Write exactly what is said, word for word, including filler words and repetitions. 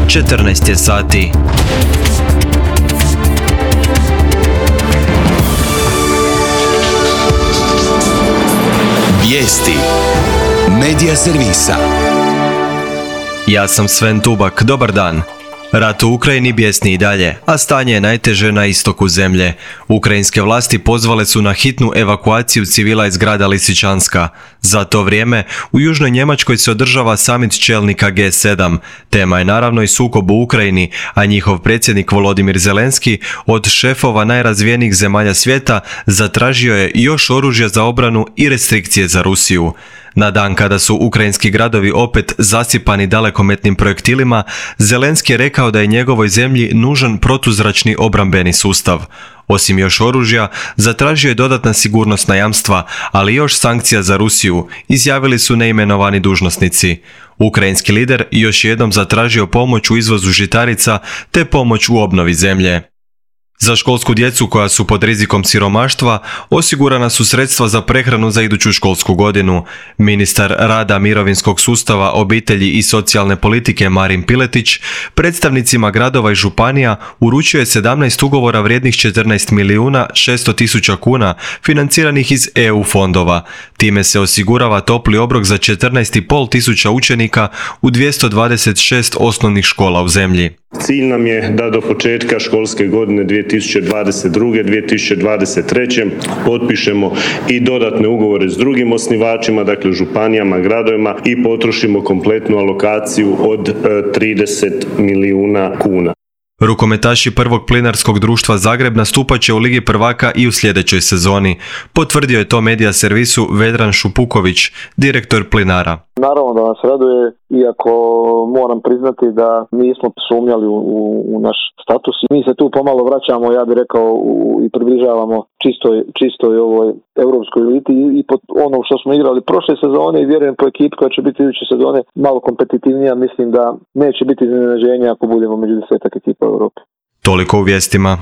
četrnaest je sati. Vijesti Medija servisa. Ja sam Sven Tubak, dobar dan. Rat u Ukrajini bjesni i dalje, a stanje je najteže na istoku zemlje. Ukrajinske vlasti pozvale su na hitnu evakuaciju civila iz grada Lisičanska. Za to vrijeme u Južnoj Njemačkoj se održava samit čelnika G sedam. Tema je naravno i sukob u Ukrajini, a njihov predsjednik Volodimir Zelenski od šefova najrazvijenijih zemalja svijeta zatražio je još oružja za obranu i restrikcije za Rusiju. Na dan kada su ukrajinski gradovi opet zasipani dalekometnim projektilima, Zelenski je rekao da je njegovoj zemlji nužan protuzračni obrambeni sustav. Osim još oružja, zatražio je dodatna sigurnosna jamstva, ali još sankcija za Rusiju, izjavili su neimenovani dužnosnici. Ukrajinski lider još jednom zatražio pomoć u izvozu žitarica te pomoć u obnovi zemlje. Za školsku djecu koja su pod rizikom siromaštva osigurana su sredstva za prehranu za iduću školsku godinu. Ministar rada, mirovinskog sustava, obitelji i socijalne politike Marin Piletić predstavnicima gradova i županija uručio je sedamnaest ugovora vrijednih četrnaest milijuna šesto tisuća kuna financiranih iz E U fondova. Time se osigurava topli obrok za četrnaest i pol tisuća učenika u dvjesto dvadeset šest osnovnih škola u zemlji. Cilj nam je da do početka školske godine dvije tisuće dvadeset druge. dvije tisuće dvadeset treće. potpišemo i dodatne ugovore s drugim osnivačima, dakle županijama, gradovima i potrošimo kompletnu alokaciju od trideset milijuna kuna. Rukometaši prvog plinarskog društva Zagreb nastupat će u Ligi prvaka i u sljedećoj sezoni. Potvrdio je to medija servisu Vedran Šupuković, direktor Plinara. Naravno da nas raduje, iako moram priznati da nismo sumnjali u, u, u naš status. Mi se tu pomalo vraćamo, ja bih rekao, u, i približavamo čistoj, čistoj ovoj europskoj eliti i, i po ono što smo igrali prošle sezone i vjerujem po ekipi koja će biti iduće sezone malo kompetitivnija, mislim da neće biti iznenađenja ako budemo među desetak ekipa u Europi. Toliko u vijestima.